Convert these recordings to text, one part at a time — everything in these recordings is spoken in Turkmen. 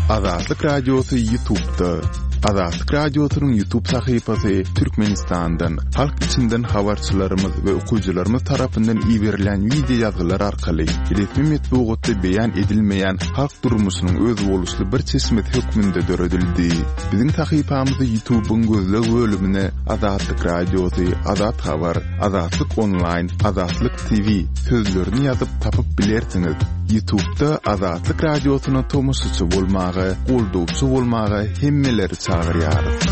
Azatlyk Radiosy Ýutubda. Azatlyk Radiosynyň Ýutub sahypasy Türkmenistandan, halk içinden habarçylarymyz we okyjylarymyz tarapyndan iberilen wideo ýazgylar arkaly resmi metbugatda beýan edilmeýän halk durmuşynyň özboluşly bir çeşmesi hökmünde döredildi. Biziň sahypamyzy Ýutubyň gözleg bölümine Azatlyk Radiosy, Azat Habar, Azatlyk Onlaýn, Azatlyk TV sözlerini ýazyp tapyp bilersiňiz. Ýutubda Azatlyk Radiosyna tomaşaçy bolmaga, goldawçy bolmaga hemmeleri çagyrýarys.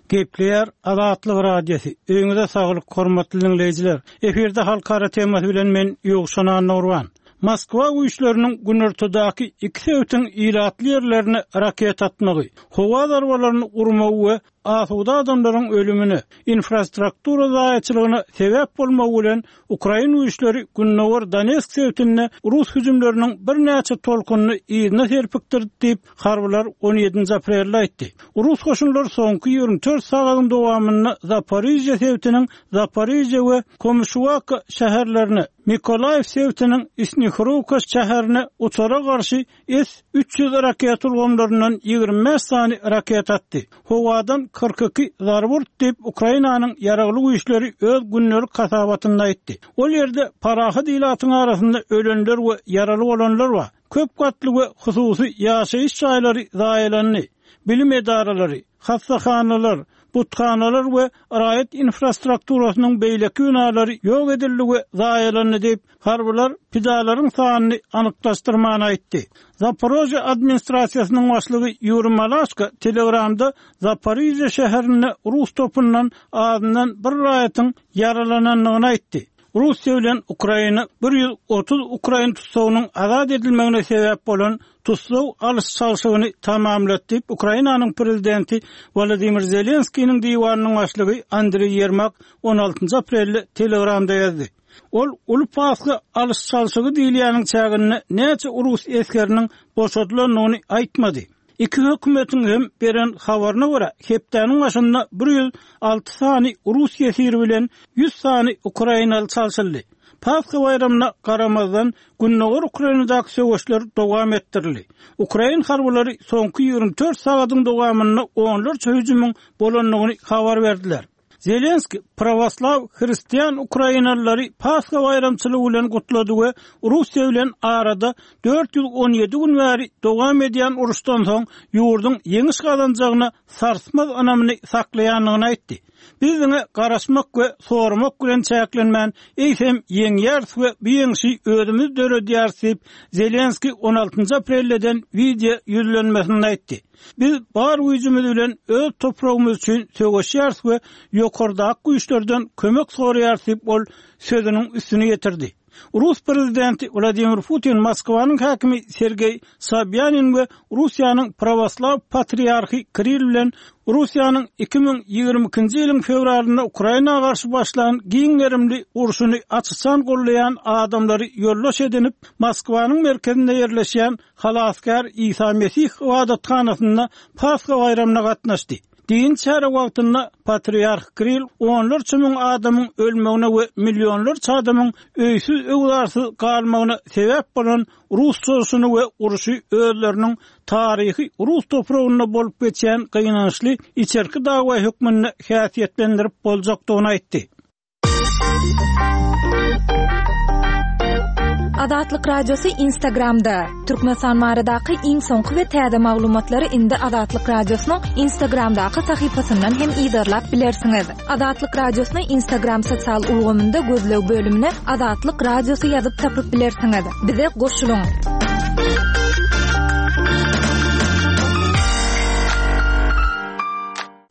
Gepleýär Azatlyk Radiosy. Öýüňize saglyk, hormatly diňleýjiler. Efirde halkara temasy bilen men Ýowşan Annagurban. Moskwa güýçleriniň günortadaky iki sebitiň ilatly ýerlerine raketa atmagy, howa zarbalaryny urmagy we asuda adamlaryň ölümine, infrastruktura zaýaçylygyna sebäp bolmagy bilen ukrain güýçleri gündogar Donetsk sebitinde rus hüjümleriniň birnäçe tolkunyny yzyna serpikdirdi diýip, harbylar on ýedinji aprelde aýtdy. Rus goşunlary soňky 24 sagadyň dowamynda Zaporižýa sebitiniň Zaporižýa we Komyşuwaka şäherlerine, Mykolaýiw sebitiniň Snihrowka şäherine uçara garşy S 300 raketa ulgamlaryndan 25 sany raketa atdy. Howadan 42 zarba urdy diýip, Ukrainanyň Ýaragly Güýçleri öz gündelik hasabatynda aýtdy. Ol ýerde parahat ilatyň arasynda ölenler we ýaraly bolanlar bar. Köp gatly we hususy ýaşaýyş jaýlary zaýalandy, bilim edaralary, hassahanalar, buthanalar we raýat infrastrukturasynyň beýleki binalary ýok edildi we zaýalandy diýip, harbylar pidalaryň sanyny anyklaşdyrman aýtdy. Zaporožýe administrasiýasynyň başlygy Ýuriý Malaşko Telegramda Zaporižýe şäherinde rus topundan azyndan bir raýatyň ýaralanandygyny aýtdy. Russiýa bilen Ukraina 130 ukrain tussagynyň azat edilmegine sebäp bolan tussag alyş-çalşygyny tamamlady diýip, Ukrainanyň prezidenti Wolodymyr Zelenskiniň diwanynyň başlygy Andriý Ýermak on altynjy aprelde Telegramda ýazdy. Ol Uly Pasha alyş-çalşygy diýilýäniň çäginde näçe rus esgeriniň boşadylandygyny aýtmady. Iki hökümetiň hem beren habaryna görä, hepdäniň başynda 106 sany rus ýesiri bilen 100 sany ukrainaly çalşyldy. Pasha baýramyna garamazdan, gündogar Ukrainadaky söweşler dowam etdirildi. Ukrain harbylary soňky 24 sagadyň dowamynda onlarça hüjümiň bolandygyny habar berdiler. Zelenskiý prawoslaw hristian ukrainalylary Pasha baýramçylygy bilen gutlady we Russiýa bilen arada 417 gün bäri dowam edýän uruşdan soň ýurduň ýeňiş gazanjagyna sarsmaz ynamyny saklaýandygyny aýtdy. Biz diňe garaşmak we soramak bilen çäklenmän, eýsem ýeňýäris we bu ýeňşi özümiz döredýäris diýip, Zelenskiý on altynjy aprelde eden wideo ýüzlenmesinde aýtdy. Biz bar güýjümiz bilen öz topragymyz üçin söweşýäris we ýokardaky güýçlerden kömek soraýarys diýip, ol sözüniň üstüni ýetirdi. Rus prezidenti Wladimir Putin Moskwanyň häkimi Sergeý Sobýanin we Russiýanyň prawoslaw patriarhy Kirill bilen Russiýanyň 2022-nji ýylyň fewralynda Ukraina garşy başlan giň gerimli urşuny aç-açan goldaýan adamlary ýoldaş edinip, Moskwanyň merkezinde ýerleşýän Halasgär Isa Mesih ybadathanasynda Pasha baýramyna gatnaşdy. Dini çäre wagtynda Patriarh Kirill onlarça müň adamyň ölmegine we millionlarça adamyň öýsüz-öwzarsyz galmagyna sebäp bolan rus çozuşyny we urşy özleriniň taryhy rus topragynda bolup geçýän gynançly içerki dawa hökmünde häsiýetlendirip boljakdygyny aýtdy. Azatlyk Radiosy Instagramda. Türkmenistan baradaky iň soňky we täze maglumatlary indi Azatlyk Radiosynyň Instagramdaky sahypasyndan hem yzarlap bilersiňiz. Azatlyk Radiosyny Instagram sosial ulgamynda gözleg bölümine Azatlyk Radiosy ýazyp tapyp bilersiňiz. Bize goşulyň!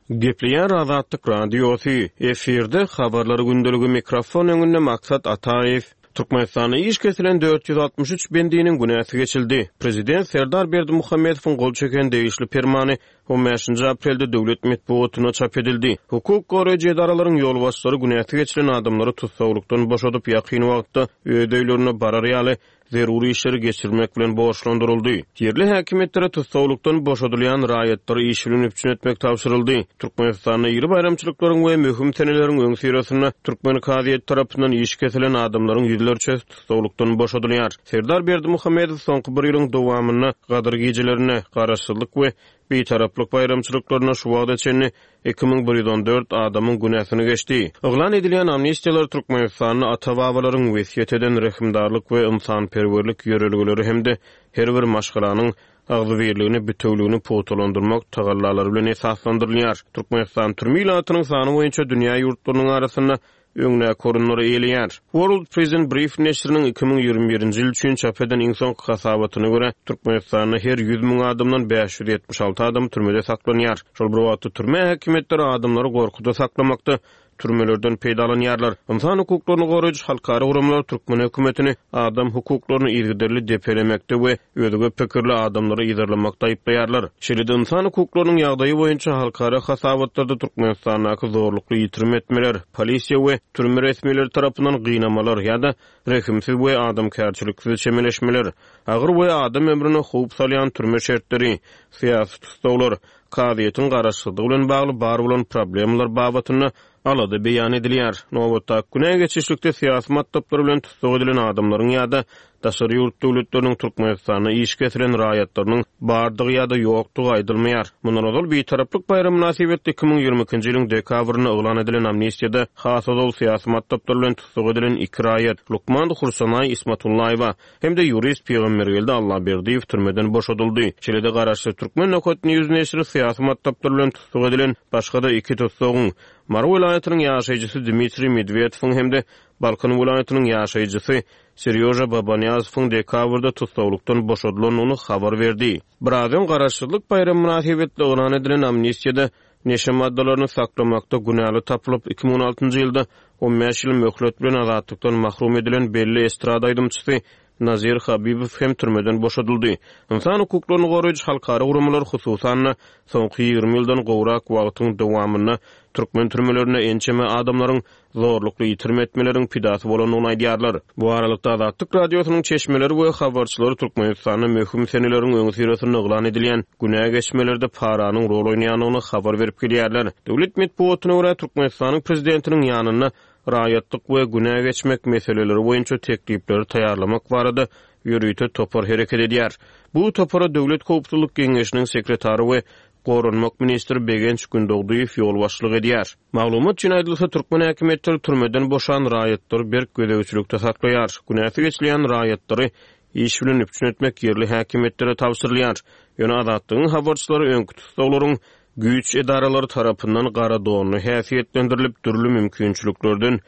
Gepleýär Azatlyk Radiosy, efirde Habarlar gündeligi mikrofon öňünde Maksat Ataýew. Türkmenistanda iş kesilen 463 bendiniň günäsi geçildi. Prezident Serdar Berdimuhamedowyň gol çeken degişli permany on bäşinji aprelde döwlet metbugatynda çap edildi. Hukuk goraýjy edaralaryň ýolbaşçylary günäsi geçilen adamlary tussaglykdan boşadyp, ýakyn wagtda öz öýlerine barar ýaly. zerur işleri geçirmek bilen borçlandyryldy. Ýerli häkimiýetlere tussaglykdan boşadylýan raýatlary iş bilen üpjün etmek tabşyryldy. Türkmenistanda iri baýramçylyklaryň we möhüm seneleriň öňüsyrasynda türkmen kazyýeti tarapyndan iş kesilen adamlaryň ýüzlerçesi tussaglykdan boşadylýar. Serdar Berdimuhamedow soňky bir ýylyň dowamynda Gadyr gijelerinde, Garaşsyzlyk we Bitaraplyk baýramçylyklarynda şu wagta çenli 2114 adamyň günäsini geçdi. Yglan edilýän amnistiýalar Türkmenistanda ata-babalaryň wesýet eden rehimdarlyk we ynsanperwerlik ýörelgeleri hem-de her bir maşgalanyň agzybirligini, bitewüligini pugtalandyrmak tagallalary bilen esaslandyrylýar. Türkmenistan türme ilatynyň sany boýunça dünýä ýurtlarynyň arasynda öňdäki orunlary eýeleýär. World Prison Brief neşiriniň 2021-nji ýyl üçin çap eden iň soňky hasabatyna görä, Türkmenistanda her 100 müň adamdan 576 adam türmede saklanýar. Şol bir wagtda, türme häkimiýetleri adamlary gorkuda saklamakda türmelerden peýdalanýarlar. Ynsan hukuklaryny goraýjy halkara guramalar türkmen hökümetini adam hukuklaryny yzygiderli depelemekde we özge pikirli adamlary yzarlamakda aýyplaýarlar. Şeýle-de ynsan hukuklarynyň ýagdaýy boýunça halkara hasabatlarda Türkmenistandaky zorlukly ýitirim etmeler, polisiýa we türme resmileri tarapyndan gynamalar ýa-da rehimsiz we adamkärçiliksiz çemeleşmeler, agyr we adam ömrüne howp salýan türme şertleri, syýasy tussaglar, kazyýetiň garaşsyzlygy bilen bagly bar bolan problemalar babatynda alada beýan edilýär. Nobatdaky günä geçişlikde syýasy matlaplar bilen tussag edilen adamlaryň ýa-da daşary ýurt döwletleriniň Türkmenistanda iş kesilen raýatlarynyň bardygy ýa-da ýokdugy aýdylmaýar. Mundan ozal Bitaraplyk baýramy mynasybetli 2022-nji ýylyň dekabrynda yglan edilen amnistiýada has ozal syýasy matlaplar bilen tussag edilen iki raýat, lukman Hursanaý Ismatullaýewa hem-de ýurist Pygambergeldi Allaberdiýew türmeden boşadyldy. Şeýle-de garaşsyz Türkmen Nokat News neşiri syýasy matlaplar bilen tussag edilen başga-da iki tussagyň, Mary welaýatynyň ýaşaýjysy Dmitriý Medwedowyň hem-de Balkan welaýatynyň ýaşaýjysy Serýoža Babanyýazowyň dekabrda tussaglykdan boşadylandygyny habar berdi. Biraz öň Garaşsyzlyk baýramy mynasybetli yglan edilen amnistiýada neşe maddalaryny saklamakda günäli tapylyp, 2016-njy ýylda 15 ýyl möhlet bilen azatlykdan mahrum edilen belli estrada aýdymçysy Nazir Habibow hem türmeden boşadyldy. Ynsan hukuklaryny goraýjy halkara guramalar, hususan-da, soňky 20 ýyldan gowrak wagtyň dowamynda türkmen türmelerinde ençeme adamlaryň zorlukly ýitirim etmeleriň pidasy bolandygyny aýdýarlar. Bu aralykda, Azatlyk Radiosynyň çeşmeleri we habarçylary Türkmenistanda möhüm seneleriň öňüsyrasynda yglan edilýän günä geçmelerde paranyň rol oýnaýandygyny habar berip gelýärler. Döwlet metbugatyna görä, Türkmenistanyň prezidentiniň ýanynda raýatlyk we günä geçmek meseleleri boýunça teklipleri taýýarlamak barada ýörite topar hereket edýär. Bu topara Döwlet howpsuzlyk geňeşiniň sekretary we goranmak ministri Begenç Gündogdyýew ýolbaşçylyk edýär. Maglumat üçin aýdylsa, türkmen häkimiýetleri türmeden boşan raýatlary berk gözegçilikde saklaýar. Günäsi geçilýän raýatlary iş bilen üpjün etmek ýerli häkimiýetlere tabşyrylýar. Ýöne Azatlygyň habarçylary öňki tussaglaryň güýç edaralary tarapyndan gara donly häsiýetlendirilip, dürli mümkinçiliklerden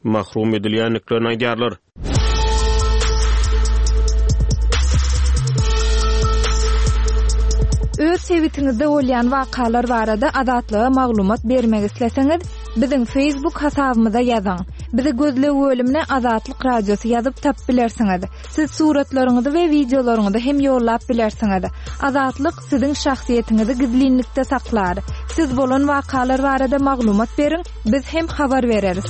mahrum edilýändiklerini aýdýarlar. Öz sebitiňizde bolýan wakalar barada Azatlyga maglumat bermek isleseňiz, biziň Facebook hasabymyza ýazyň. Bizi gözleg bölümine Azatlyk Radiosy ýazyp tapyp bilersiňiz. Siz suratlaryňyzy we wideolaryňyzy hem ýollap bilersiňiz. Azatlyk siziň şahsyýetiňizi gizlinlikde saklar. Siz bolan wakalar barada maglumat beriň, Biz hem habar bereris.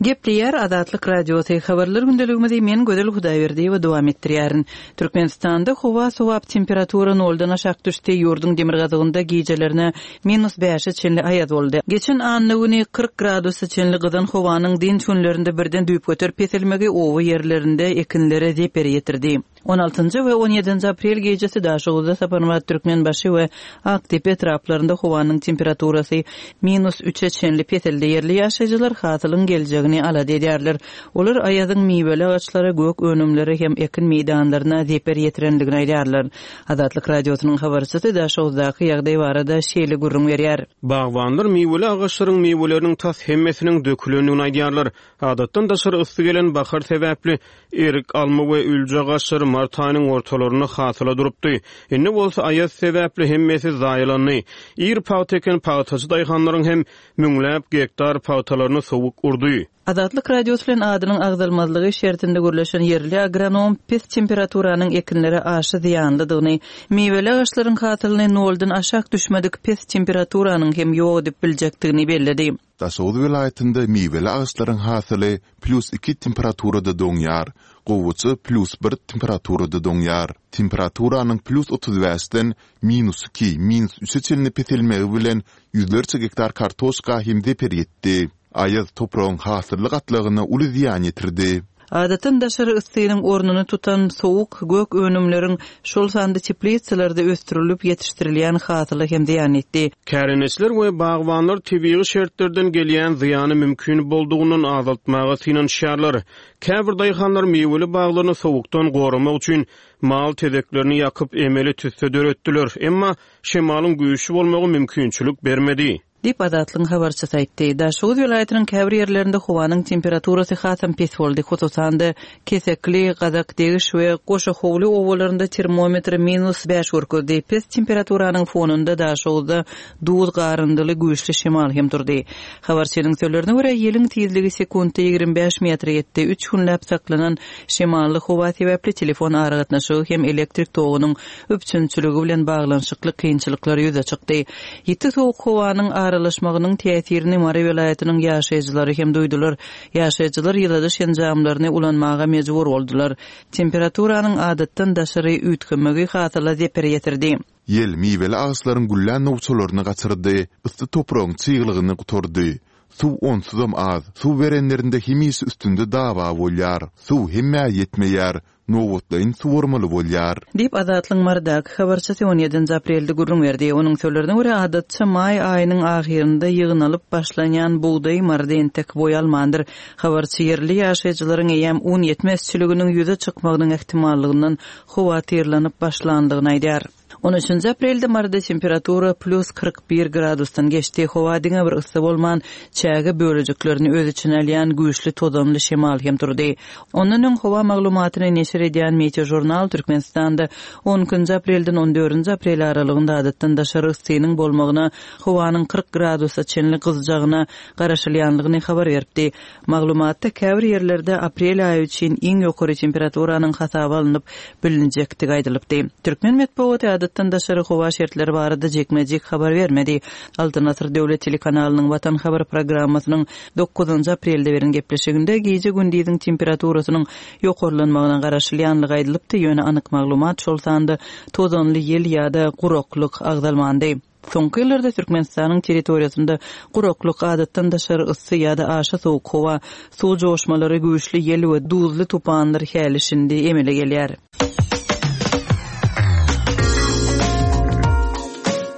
Gepleýär Azatlyk Radiosy, Habarlar gündeligimizi men Gözel Hudaýberdiýewa dowam etdirýärin. Türkmenistanda howa sowap, temperatura noldan aşak düşdi, ýurduň demirgazygynda gijelerine minus bäşe çenli aýaz boldy. Geçen anna güni 40 gradusa çenli gyzan howanyň dynç günlerinde birden düýpgöter peselmegi oba ýerlerinde ekinlere zeper ýetirdi. On altynjy we on ýedinji aprel gijesi Daşoguzda, Saparmyrat Türkmenbaşy we Akdepe etraplarynda howanyň temperaturasy minus üçe çenli peseldi. Ýerli ýaşaýjylar hasylyň geljegini alada edýärler. Olar aýazyň miweli agaçlara, gök önümlere hem ekin meýdanlaryna zeper ýetirendigini aýdýarlar. Azatlyk Radiosynyň habarçysy Daşoguzdaky ýagdaý barada şeýle gürrüň berýär. Bagbanlar miweli agaçlaryň miweleriniň tas hemmesiniň dökülendigini aýdýarlar. Adatdan daşary yssy gelen bahar sebäpli, erik, alma we ülje agaçlary mart aýynyň ortalarynda hasyla durupdy. Indi bolsa aýaz sebäpli hemmesi zaýalandy. Ir pagta eken pagtaçy daýhanlaryň hem müňläp gektar pagtalaryny sowuk urdy. Azatlyk Radiosy bilen adynyň agzalmazlygy şertinde gürleşen ýerli agronom pes temperaturanyň ekinlere aşa zyýanlydygyny, miweli agaçlaryň hasylyny noldan aşak düşmedik pes temperaturanyň hem ýok edip biljekdigini belledi. Daşoguz welaýatynda miweli agaçlaryň hasyly plýus iki temperaturada doňýar, gowaça plýus bir temperaturada doňýar. Temperaturanyň plýus 35-den minus iki, minus üçe çenli peselmegi bilen ýüzlerçe gektar kartoşka hem zeper ýetdi. Aýaz topragyň hasylly gatlagyna uly zyýan ýetirdi. Adatdan daşary yssynyň ornuny tutan sowuk gök önümleriň, şol sanda teplisalarda ösdürilip ýetişdirilýän hasyla hem zyýan ýetdi. Kärendeçiler we bagbanlar tebigy şertlerden gelýän zyýany mümkin boldugyndan azaltmaga synanyşýarlar. Käbir daýhanlar miweli baglaryny sowukdan goramak üçin mal tezeklerini ýakyp, emeli tüsse döretdiler. Emma şemalyň güýçli bolmagy mümkinçilik bermedi. Diýip, Azatlygyň habarçysy aýtdy. Daşoguz welaýatynyň käbir ýerlerinde howanyň temperaturasy hasam pes boldy. Hususan-da, Kesekli, Gazakdegiş we Goşahowly obalarynda termometr minus bäş görkezdi. Pes temperaturanyň fonunda Daşoguzda duz garyndyly güýçli şemal hem turdy. Habarçynyň sözlerine görä, ýeliň tizligi sekuntda 25 metre ýetdi. Üç günläp saklanan şemally howa sebäpli telefon aragatnaşygy hem elektrik togunyň üpjünçiligi bilen baglanyşykly kynçylyklar ýüze çykdy. Ýiti sowuk howanyň aralaşmagynyň täsirini Mary welaýatynyň ýaşaýjylary hem duýdular. Ýaşaýjylar ýyladyş enjamlaryny ulanmaga mejbur boldular. Temperaturanyň adatdan daşary üýtgemegi hasyla zeper ýetirdi. Ýel miweli agaçlaryň güllän nowçalaryny gaçyrdy, yssy topragyň çyglygyny gutardy. Suw onsuzam az, suw berenlerinde hemişe üstünde dawa bolýar. Suw hemmä ýetmeýär, nobatlaýyn suwarmaly bolýar. Diýip, Azatlygyň Marydaky habarçysy on ýedinji aprelde gürrüň berdi. Onuň sözlerine görä, adatça maý aýynyň ahyrynda ýygnalyp başlanýan bugdaý Maryda entek boý almandyr. Habarçy ýerli ýaşaýjylaryň eýýäm un ýetmezçiliginiň ýüze çykmagynyň ähtimallygyndan howatyrlanyp başlandygyny aýdýar. On üçünji aprelde Maryda temperatura plýus 41 gradusdan geçdi. Howa diňe bir yssy bolman, çäge bölejiklerini öz içine alýan güýçli tozanly şemal hem turdy. Ondan öň howa maglumatyny neşir edýän Meteožurnal Türkmenistanda on ikinji aprelden on dördünji aprel aralygynda adatdan daşary yssynyň bolmagyna, howanyň 40 gradusa çenli gyzjagyna garaşylýanlygyny habar beripdi. Maglumatda käbir ýerlerde aprel aýy üçin iň ýokary temperaturanyň hasaba alnyp bilinjekdigi aýdylypdy. Türkmen metbugaty adatdan daşary howa şertleri barada jikme-jik habar bermedi. Altyn asyr döwlet telekanalynyň Watan habar programmasynyň dokuzynjy aprelde beren gepleşiginde gije-gündiziň temperaturasynyň ýokarlanmagyna garaşylýanlygy aýdylypdy, ýöne anyk maglumat, şol sanda tozanly ýel ýa-da guraklyk agzalmandy. Soňky ýyllarda Türkmenistanyň territoriýasynda guraklyk, adatdan daşary yssy ýa-da aşa sowuk howa, suw joşmalary, güýçli ýel we duzly tupanlar häli-şindi emele gelýär.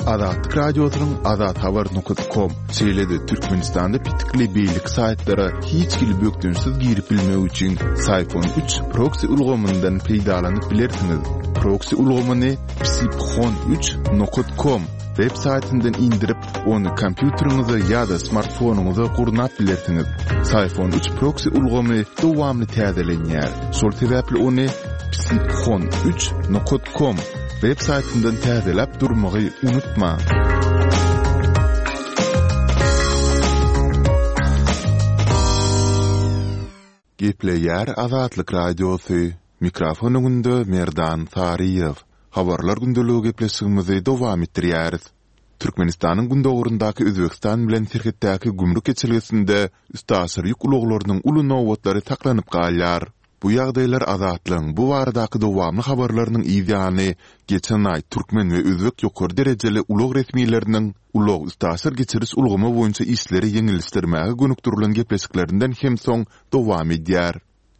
Azatlyk Radiosynyň azathabar nokat kom, şeýle-de Türkmenistanda petikli beýleki saýtlara hiç hili bökdençsiz girip bilmek üçin Syfon üç proksi ulgamyndan peýdalanyp bilersiňiz. Proksi ulgamyny Psiphon üç nokat kom web saýtyndan indirip, ony kompýuteriňize ýa-da smartfonyňyza gurnap bilersiňiz. Syphon üç proksi ulgamy dowamly täzelenýär. Şol sebäpli ony Psiphon üç nokat kom web saýtyndan täzeläp durmagy unutmaň. Gepleýär Azatlyk Radiosy, Mikrofon öňünde Merdan Saryýew. Habarlar gündeligi gepleşigimizi dowam etdirýäris. Türkmenistanyň gündogaryndaky Özbegistan bilen serhetdäki gümrük geçelgesinde üstaşyr ýük ulaglarynyň uly nobatlary saklanyp galýar. Bu ýagdaýlar Azatlygyň bu baradaky dowamly habarlarynyň yz ýany, geçen aý türkmen we özbek ýokary derejeli ulag resmileriniň ulag-üstaşyr geçiriş ulgamy boýunça işleri ýeňilleşdirmäge gönükdirilen gepleşiklerinden hem soň dowam edýär.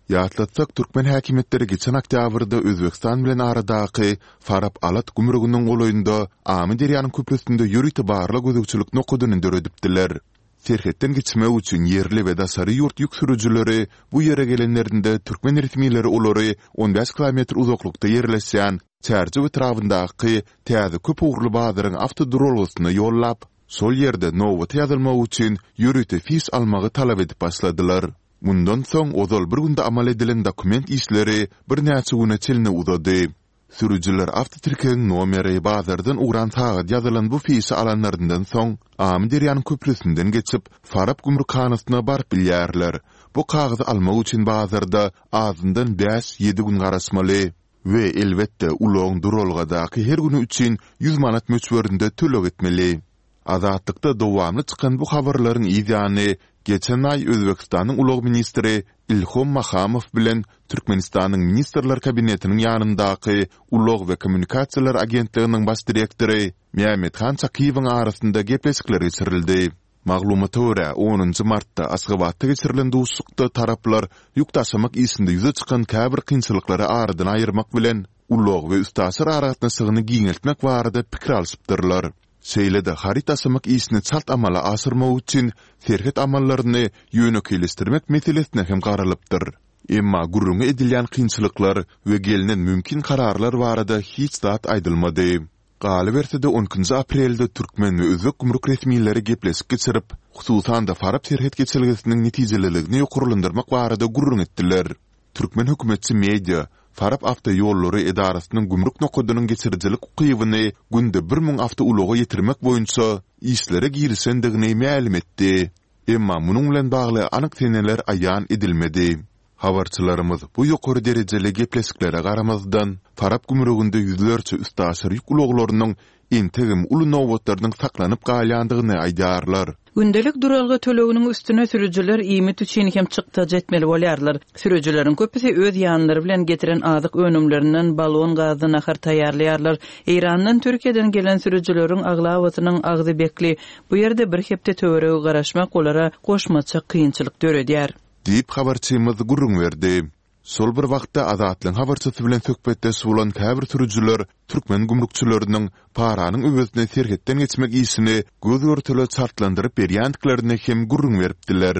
Ýatlatsak, türkmen häkimiýetleri geçen oktýabrda Özbegistan bilen aradaky Farap-Alat gümrüginiň golaýynda Amyderýanyň köprüsinde ýörite barlag-gözegçilik nokadyny döredipdiler. Serhetden geçmek üçin ýerli we daşary ýurt ýük sürüjileri bu ýere gelenlerinde türkmen resmileri olary 15 kilometr uzaklykda ýerleşýän Çärjew etrabyndaky täze köp ugurly bazaryň awtoduralgasyna ýollap, şol ýerde nobata ýazylmak üçin ýörite fiş almagy talap edip başladylar. Mundan soň ozal bir günde amal edilen dokument işleri birnäçe güne çenli uzady. Sürüjiler awtotirkegiň nomeri, bazardan ugran sagat ýazylan bu fişi alanlaryndan soň, Amyderýanyň köprüsinden geçip, Farap gümrükhanasyna baryp bilýärler. Bu kagyzy almak üçin bazarda azyndan bäş-ýedi gün garaşmaly. We, elbetde, ulagyň duralgadaky her güni üçin ýüz manat möçberinde töleg etmeli. Azatlykda dowamly çykan bu habarlaryň yz ýany, geçen aý Özbegistanyň ulag ministri Ilhom Mahamow bilen Türkmenistanyň Ministrler Kabinetiniň ýanyndaky Ulag we kommunikasiýalar agentliginiň baş direktory Mämmethan Çakyýewiň arasynda gepleşikler geçirildi. Maglumata görä, onunjy martda Aşgabatda geçirilen duşuşykda taraplar ýük daşamak işinde ýüze çykan käbir kynçylyklary aradan aýyrmak bilen, ulag we üstaşyr aragatnaşygyny giňeltmek barada pikir alşypdyrlar. Şeýle-de haryt daşamak işini çalt amala aşyrmak üçin serhet amallaryny ýönekeýleşdirmek meselesine hem garalypdyr. Emma gürrüňi edilýän kynçylyklar we gelnen mümkin kararlar barada hiç zat aýdylmady. Galyberse-de, on ikinji aprelde türkmen we özbek gümrük resmileri gepleşik geçirip, hususan-da Farap serhet geçelgesiniň netijeliligini ýokarlandyrmak barada gürrüň etdiler. Türkmen hökümetçi media Farap awtoýollary edarasynyň gümrük nokadynyň geçirijilik ukybyny günde 1000 awtoulaga ýetirmek boýunça işlere girişendigini mälim etdi. Emma munuň bilen bagly anyk seneler aýan edilmedi. Habarçylarymyz bu ýokary derejeli gepleşiklere garamazdan, Farap gümrüginde ýüzlerçe üstaşyr ýük ulaglarynyň entegem uly nobatlarynyň saklanyp galýandygyny aýdýarlar. Gündelik duralga töleginiň üstüne sürüjiler iýmit üçin hem çykdajy etmeli bolýarlar. Sürüjileriň köpüsi öz ýanlary bilen getiren azyk önümlerinden balon gazda nahar taýýarlaýarlar. Eýrandan, Türkiýeden gelen sürüjileriň aglabasynyň agzy bekli. Bu ýerde bir hepde töweregi garaşmak olara goşmaça kynçylyk döredýär. Diýip, habarçymyz gürrüň berdi. Şol bir wagtda, Azatlygyň habarçysy bilen söhbetdeş bolan käbir sürüjiler türkmen gümrükçileriniň paranyň öwezine serhetden geçmek işini göz-görtele çaltlandyryp berýändiklerini hem gürrüň beripdiler.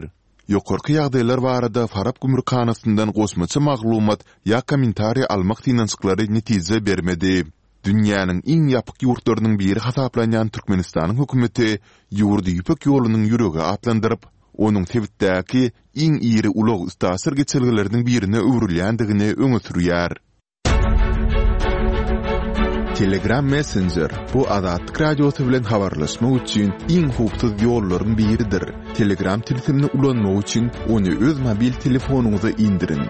Ýokarky ýagdaýlar barada Farap gümrükhanasyndan goşmaça maglumat ýa kommentariý almak synanyşyklary netije bermedi. Dünýäniň iň ýapyk ýurtlarynyň biri hasaplanýan Türkmenistanyň hökümeti ýurdy Ýüpek ýolunyň ýüregi atlandyryp, onuň sebitdäki iň iri ulag-üstaşyr geçelgeleriniň birine öwrülýändigini öňe sürýär. Telegram Messenger, bu Azatlyk Radiosy bilen habarlaşmak üçin iň howpsuz ýollaryň biridir. Telegram tilsimini ulanmak üçin ony öz mobil telefonyňyza indiriň.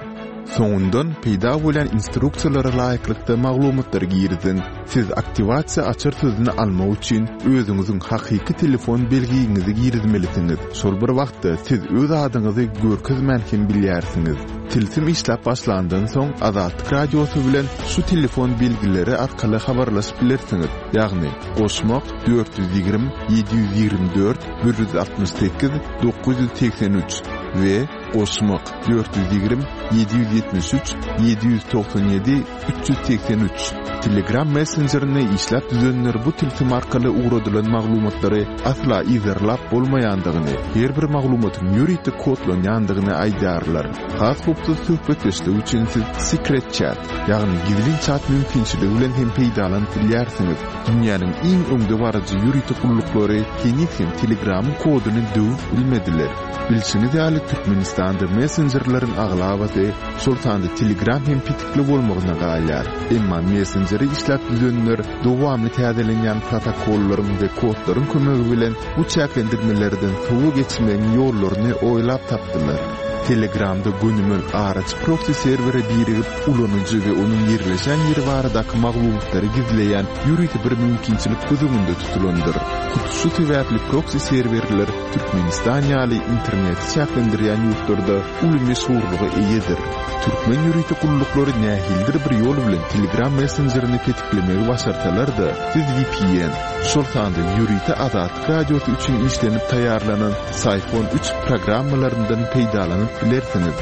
Soňundan peýda bolýan instruksiýalara laýyklykda maglumatlary giriziň. Siz aktiwasiýa açar sözüni almak üçin özüňiziň hakyky telefon belgiňizi girizmelisiňiz. Şol bir wagtda siz öz adyňyzy görkezmän hem bilýärsiňiz. Tilsim işläp başlandan soň Azatlyk Radiosy bilen şu telefon belgileri arkaly habarlaşyp bilersiňiz, ýagny, goşmak, 420 724 168 983 we Goşmak, 420 773 797 383. Telegram messenjerini işläp düzenler bu tilsim arkaly ugradylan maglumatlary asla yzarlap bolmaýandygyny, her bir maglumatyň ýörite kodlanýandygyny aýdýarlar. Has howpsuz söhbetdeşlik üçin siz Secret Chat, ýagny gizlin çat mümkinçiligi bilen hem peýdalanyp bilýärsiňiz. Dünýäniň iň öňdebaryjy ýörite gulluklary heniz hem Telegramyň koduny döwüp bilmediler. Bilşiňiz ýaly, Türkmenistanda messenjerleriň aglabasy, şol sanda Telegram hem petikli bolmagyna galýar. Emma messenjeri işläp düzenler dowamly täzelenýän protokollaryň we kodlaryň kömegi bilen bu çäklendirmelerden sowa geçmegiň ýollaryny oýlap tapdylar. Telegramda gönümel araçy proksi serwere birigip, ulanyjy we onuň ýerleşen ýeri baradaky maglumatlary gizleýän ýörite bir mümkinçilik göz öňünde tutulandyr. Hut şu sebäpli proksi serwerler Türkmenistan ýaly interneti çäklendirýän ýurtlarda uly meşhurlyga eýedir. Türkmen ýörite gulluklary nähilidir bir ýol bilen Telegram messenjerini petiklemegi başarsalar-da, siz vpn, şol sanda ýörite Azatlyk Radiosy üçin işlenip taýýarlanan Syphon üç programmalaryndan peýdalanyp bilersiňiz.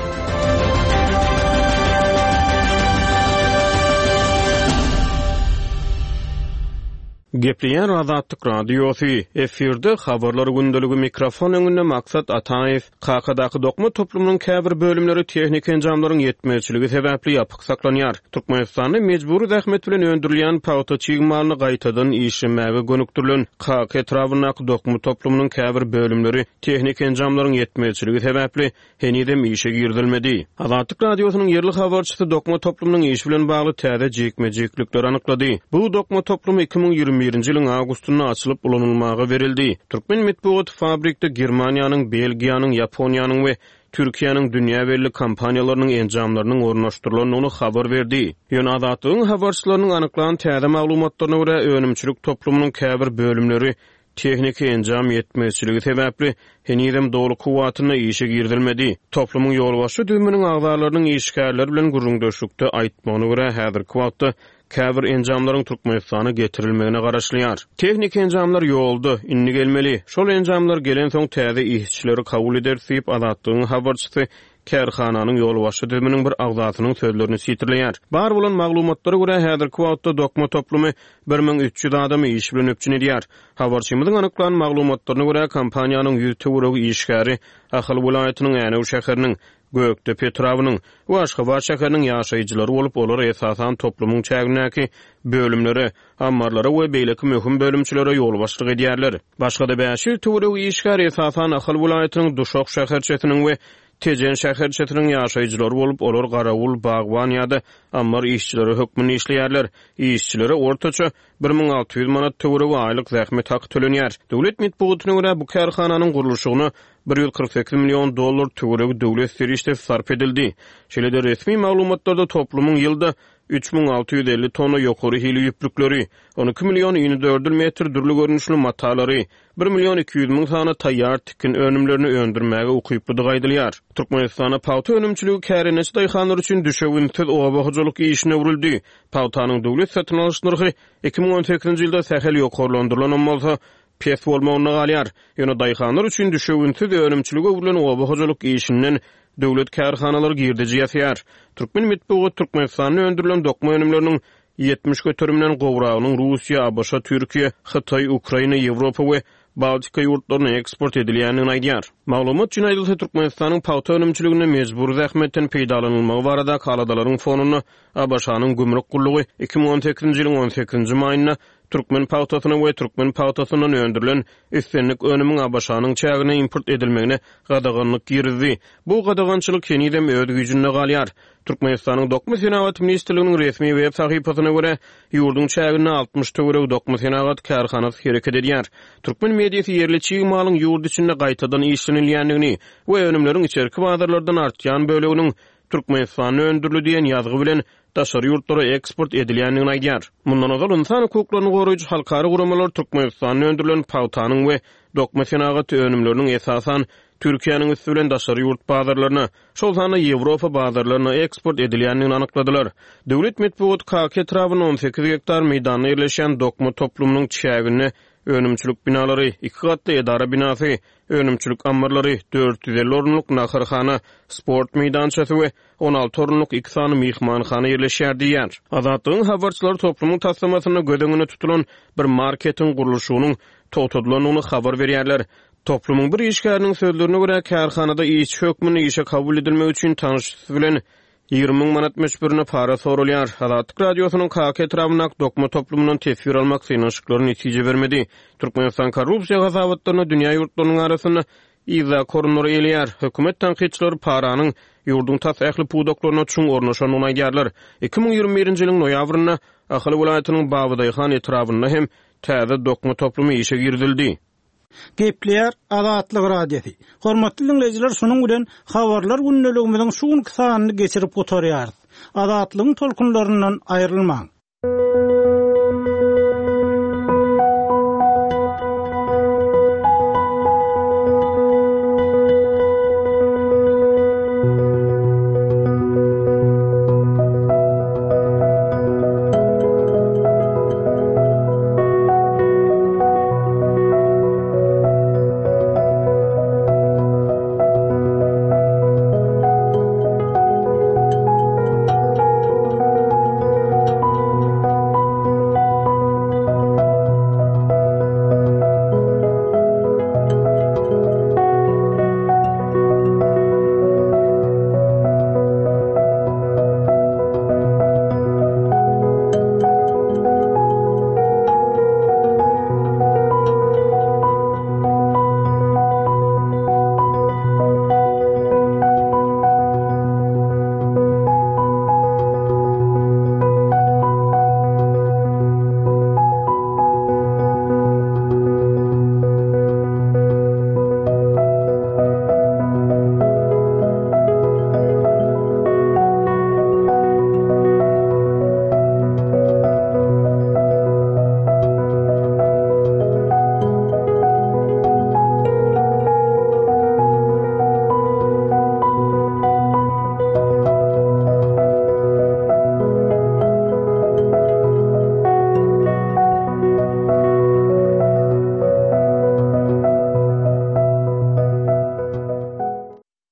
Gepleýär Azatlyk Radiosy, Efirde Habarlar gündeligi mikrofon öňünde Maksat Ataýew. Kakadaky dokma toplumynyň käbir bölümleri tehniki enjamlaryň ýetmezçiligi sebäpli ýapyk saklanýar. Türkmenistanda mejbury zähmet bilen öndürilýän pagta çig malyny gaýtadan işlemäge gönükdirilen Kaka etrabyndaky dokma toplumynyň käbir bölümleri tehniki enjamlaryň ýetmezçiligi sebäpli henizem işe girizilmedi. Azatlyk Radiosynyň ýerli habarçysy dokma toplumynyň işi bilen bagly täze jikme-jiklikleri anyklady. Bu dokma toplumy 2021-nji ýylyň awgustynda açylyp ulanylmaga berildi. Türkmen metbugaty fabrikde Germaniýanyň, Belgiýanyň, Ýaponiýanyň we Türkiýäniň dünýä belli kompaniýalarynyň enjamlarynyň ornaşdyrylandygyny habar berdi. Ýöne Azatlygyň habarçylarynyň anyklan täze maglumatlaryna görä, önümçilik toplumynyň käbir bölümleri. Tehniki enjam ýetmezçiligi sebäpli, henizem doly kuwwatynda işe girizilmedi. Toplumyň ýolbaşçy düzüminiň agzalarynyň işgärler bilen gürrüňdeşlikde aýtmagyna görä, häzirki wagtda käbir enjamlaryň Türkmenistana getirilmegine garaşylýar. Tehniki enjamlar ýolda, indi gelmeli. Şol enjamlar gelensoň täze işçileri kabul ederis diýip, Azatlygyň habarçysy kärhananyň ýolbaşçy düzüminiň bir agzasynyň sözlerini sitirleýär. Bar bolan maglumatlara görä, häzirki wagtda dokma toplumy 1300 adamy iş bilen üpjün edýär. Habarçymyzyň anyklan maglumatlaryna görä, kompaniýanyň ýüz töweregi işgäri Ahal welaýatynyň Änew şäheriniň, Gökdepe etrabynyň we Aşgabat şäheriniň ýaşaýjylary bolup, olar esasan toplumyň çägindäki bölümlere, ammarlara we beýleki möhüm bölümçelere ýolbaşçylyk edýärler. Başga-da 500 töweregi işgär esasan Ahal welaýatynyň Duşak şäherçesiniň we Tejen şäherçesiniň ýaşaýjylary bolup, olar garawul, bagban ýa-da ammar işçileri hökmünde işleýärler. Işçilere ortaça 1600 manat töweregi aýlyk zähmet haky tölenýär. Döwlet metbugatyna görä, bu kärhananyň gurluşygyna 148 million dollar töweregi döwlet serişdesi sarp edildi. Şeýle-de resmi maglumatlarda toplumyň ýylda 3650 tonna ýokary hili ýüplükleri, 12 million inedördül metr dürli görnüşli matalary, bir million 200 müň sany taýýar tikin önümlerini öndürmäge ukyplydygy aýdylýar. Türkmenistanda pagta önümçiligi kärendeçi daýhanlar üçin düşewüntsiz oba hojalyk işine öwrüldi. Pagtanyň döwlet satyn alyş nyrhy 2018-nji ýylda sähel ýokarlandyrylanam bolsa, pes bolmagynda galýar. Ýöne daýhanlar üçin düşewüntsiz önümçilige öwrülen oba hojalyk işinden döwlet kärhanalary girdeji ýasaýar. Türkmen metbugaty Türkmenistanda öndürilen dokma önümleriniň 70 göterimden gowragynyň Russiýa, ABŞ, Türkiýe, Hytaý, Ukraina, Ýewropa we Baltika ýurtlaryna eksport edilýändigini aýdýar. Maglumat üçin aýdylsa, Türkmenistanyň pagta önümçiliginde mejbury zähmetden peýdalanylmagy baradaky aladalaryň fonunda ABŞ-nyň gümrük gullugy 2018-nji ýylyň on sekizinji maýynda türkmen pagtasyna we türkmen pagtasyndan öndürilen islendik önümiň ABŞ-nyň çägine import edilmegine gadaganlyk girizdi. Bu gadagançylyk henizem öz güýjünde galýar. Türkmenistanyň Dokma senagaty ministrliginiň resmi web sahypasyna görä, ýurduň çäginde 60 töweregi dokma senagat kärhanasy hereket edýär. Türkmen mediasy ýerli çig malyň ýurt içinde gaýtadan işlenilýändigini we önümleriň içerki bazarlardan artýan böleginiň Türkmenistanda öndürildi diýen ýazgy bilen daşary ýurtlara eksport edilýändigini aýdýar. Mundan ozal ynsan hukuklaryny goraýjy halkara guramalar Türkmenistanda öndürilen pagtanyň we dokma senagaty önümleriniň esasan Türkiýäniň üsti bilen daşary ýurt bazarlaryna, şol sanda Ýewropa bazarlaryna eksport edilýändigini anykladylar. Döwlet metbugaty Kaka etrabynda 18 gektar meýdanda ýerleşýän dokma toplumynyň çäginde önümçilik binalary, iki gatly edara binasy, önümçilik ammarlary, 450 orunlyk naharhana, sport meýdançasy we 16 orunlyk iki sany myhmanhana ýerleşýär diýýär. Azatlygyň habarçylary toplumyň taslamasynda göz öňünde tutulan bir marketiň gurluşygynyň togtadylandygyny habar berýärler. Toplumyň bir işgäriniň sözlerine görä, kärhanada işçi hökmünde işe kabul edilmek üçin tanyşysy bilen 20 müň manat möçberinde para soralýar. Azatlyk Radiosynyň Kaka etrabyndaky dokma toplumyndan teswir almak synanyşyklary netije bermedi. Türkmenistan korrupsiýa hasabatlarynda dünýä ýurtlarynyň arasynda yzdaky orunlary eýeleýär. Hökümet tankytçylary paranyň ýurduň tas ähli pudaklaryna çuň ornaşandygyny aýdýarlar. 2021-nji ýylyň noýabrynda Ahal welaýatynyň Babadaýhan etrabynda hem täze dokma toplumy işe girizildi. Gepleýär Azatlyk Radiosy. Hormatly diňleýjiler, şunuň bilen Habarlar gündeligimiziň şu günki sanyny geçirip gutarýarys. Azatlygyň tolkunlaryndan aýrylmaň.